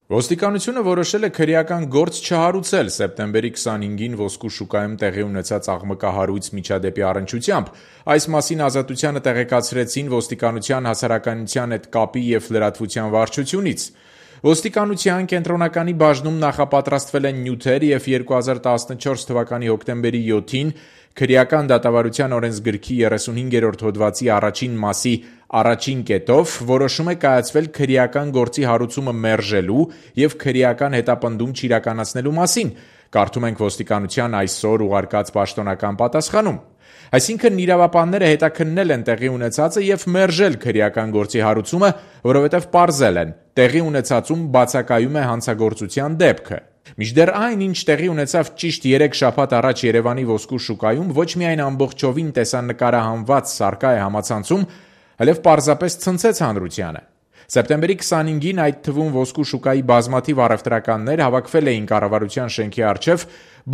Ոստիկանությունը որոշել է քրեական գործ չհարուցել սեպտեմբերի 25-ին ոսկու շուկայում տեղի ունեցած աղմկահարույց միջադեպի առնչությամբ։ Այս մասին Ազատությանը տեղեկացրեցին ոստիկանության հասարակայնության հետ կապի և լրատվության վարչությունից։ Ոստիկանության կենտրոնականի բաժնում նախապատրաստվել են նյութեր և 2014 թվականի հոկտեմբերի 7-ին քրեական դատավարության օրենսգրքի 35-րդ հոդվածի առաջին մասի առաջին կետով որոշում է կայացվել քրեական գործի հարուցումը մերժելու և քրեական հետապնդում չիրականացնելու մասին, կարդում ենք ոստիկանության այսօր ուղարկած պաշտոնական պատասխանում։ Այսինքն իրավապանները հետաքննել են տեղի ունեցածը և մերժել քրեական գործի հարուցումը, որովհետև պարզել են՝ տեղի ունեցածում բացակայում է հանցագործության դեպքը։ Մինչդեռ այն, ինչ տեղի ունեցավ ճիշտ 3 շաբաթ առաջ Երևանի ոսկու շուկայում, ոչ միայն ամբողջովին տեսանկարահանված սառկա է համացանցում, այլև պարզապես ցնցեց հանրությանը։ Սեպտեմբերի 25-ին այդ թվում ոսկու շուկայի բազմաթիվ առևտրականներ հավաքվել էին կառավարության շենքի առջև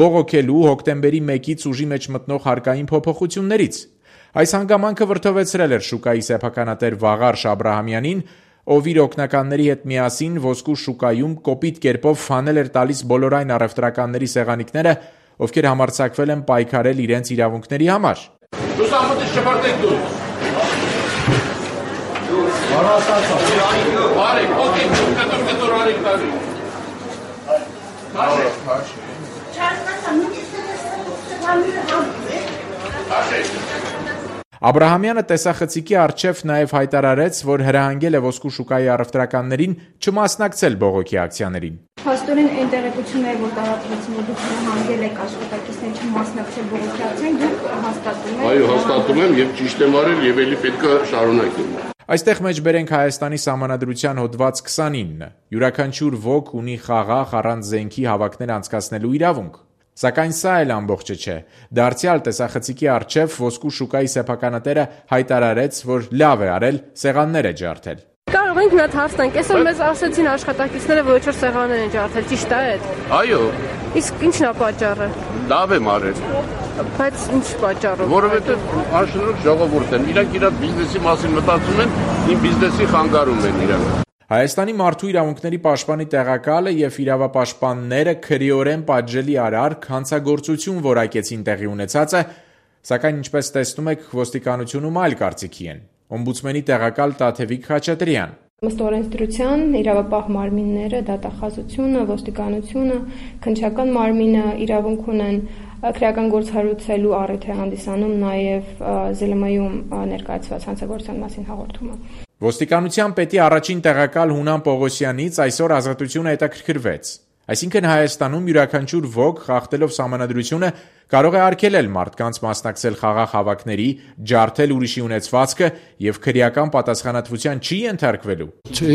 բողոքելու հոկտեմբերի 1-ից ուժի մեջ մտնող հարկային փոփոխություններից։ Այս հանգամանքը վրդովեցրել էր շուկայի սեփականատեր Վաղարշ Աբրահամյանին, ով իր օգնականների հետ միասին ոսկու շուկայում կոպիտ կերպով հանել էր տալիս բոլոր այն առևտրականների սեղանիկները, ովքեր համարձակվել են պայքարել իրենց իրավունքների համար։ Աբրահամյանը տեսախցիկի առջև նաև հայտարարեց, որ հրահանգել է ոսկու շուկայի առևտրականներին չմասնակցել բողոքի ակցիաներին։ Փաստորեն այն տեղեկությունները, որ տարածվեցին, որ դուք հրահանգել եք աշխատակիցներին չմասնակցել բողոքի ակցիային, դուք հաստատում եք։ Այո, հաստատում եմ եւ ճիշտ եմ արել եւ ելի պետք է շարունակեմ։ Այստեղ մեջբերենք Հայաստանի Սահմանադրության հոդված 29. Յուրաքանչյուր ոք ունի խաղաղ առանց զենքի հավաքներ անցկացնելու իրավունք։ Սակայն սա էլ ամբողջը չէ։ Դարձյալ տեսախցիկի առջև ոսկու շուկայի սեփականատերը հայտարարեց, որ լավ է արել, սեղաններ է ջարդել։ Կարող ենք մի հատ հարց տանք, այսօր մեզ ասացին աշխատակիցները, որ ոչ սեղաններ են ջարդել, ճիշտ է այդ։ Այո։ Իսկ ի՞նչն է պատճառը։ Լավ եմ արել։ Բայց ինչ պատճառով։ Որովհետև անշնորհ ժողովուրդ են, իրանք իրար բիզնեսի մասին մտածում են, իմ բիզնեսի խանգարում են իրանք։ Հայաստանի մարդու իրավունքների պաշտպանի տեղակալը և իրավապաշտպանները քրեորեն պատժելի արարք հանցագործություն որակեցին տեղի ունեցածը, սակայն ինչպես տեսնում եք, ոստիկանությունում այլ կարծիքի են։ Օմբուդսմենի տեղակալ Տաթևիկ Խաչատրյան։ Ըստ օրենսդրության իրավապահ մարմինները, դատախազությունը, ոստիկանությունը, քննչական մարմինը իրավունք ունեն քրեական գործ հարուցելու առիթ է հանդիսանում նաև ԶԼՄ-ում ներկայացված հանցագործության մասին հաղորդումը։ Ոստիկանության պետի առաջին տեղակալ Հունան Պողոսյանից այսօր Ազատությունը հետաքրքրվեց։ Այսինքն Հայաստանում յուրաքանչյուր ոք խախտելով Սահմանադրությունը կարող է արգելել մարդկանց մասնակցել խաղաղ հավաքների, ջարդել ուրիշի ունեցվածքը և քրեական պատասխանատվության չի ենթարկվելու։ Չէ,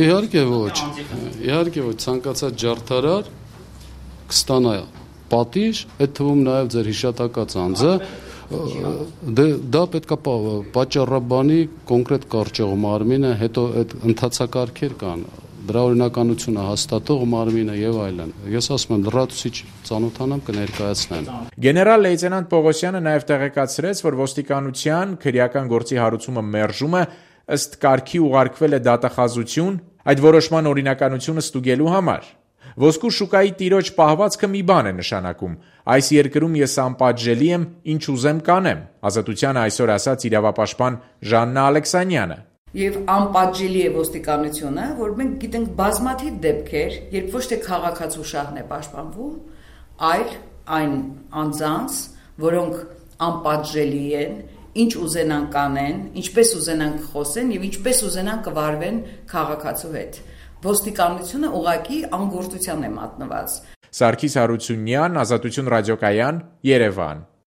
իհարկե ոչ, ցանկացած ջարդարար կստանա պատիժ, այդ թվում նաև ձեր հիշատակած անձը, դա պետք է պատճառաբանի կոնկրետ կարճող մարմինը, հետո այդ ընթացակարգեր կան, դրա օրինականությունը հաստատող մարմինը եւ այլն։ Ես ասում եմ, լրացուցիչ ծանոթանամ կներկայացնեմ։ Գեներալ լեյտենանտ Պողոսյանը նաև տեղեկացրեց, որ ոստիկանության քրեական գործի հարուցումը մերժումը ըստ կարգի ուղարկվել է դատախազություն, այդ որոշման օրինականությունը ստուգելու համար։ Ոսկու շուկայի տիրոջ պահվածքը մի բան է նշանակում։ Այս երկրում ես անպատժելի եմ, ինչ ուզեմ կանեմ, Ազատությանը այսօր ասաց իրավապաշտպան Ժաննա Ալեքսանյանը։ Եվ անպատժելի է ոստիկանությունը, որ մենք գիտենք բազմաթիվ դեպքեր, երբ ոչ թե քաղաքացու շահն է պաշտպանվում, այլ այն անձանց, որոնք անպատժելի են, ինչ ուզենան կանեն, ինչպես ուզենան խոսեն եւ ինչպես ուզենան կվարվեն քաղաքացու հետ։ Ոստիկանությունը ուղղակի անգործության է մատնված։ Սարգիս Հարությունյան, Ազատություն ռադիոկայան, Երևան։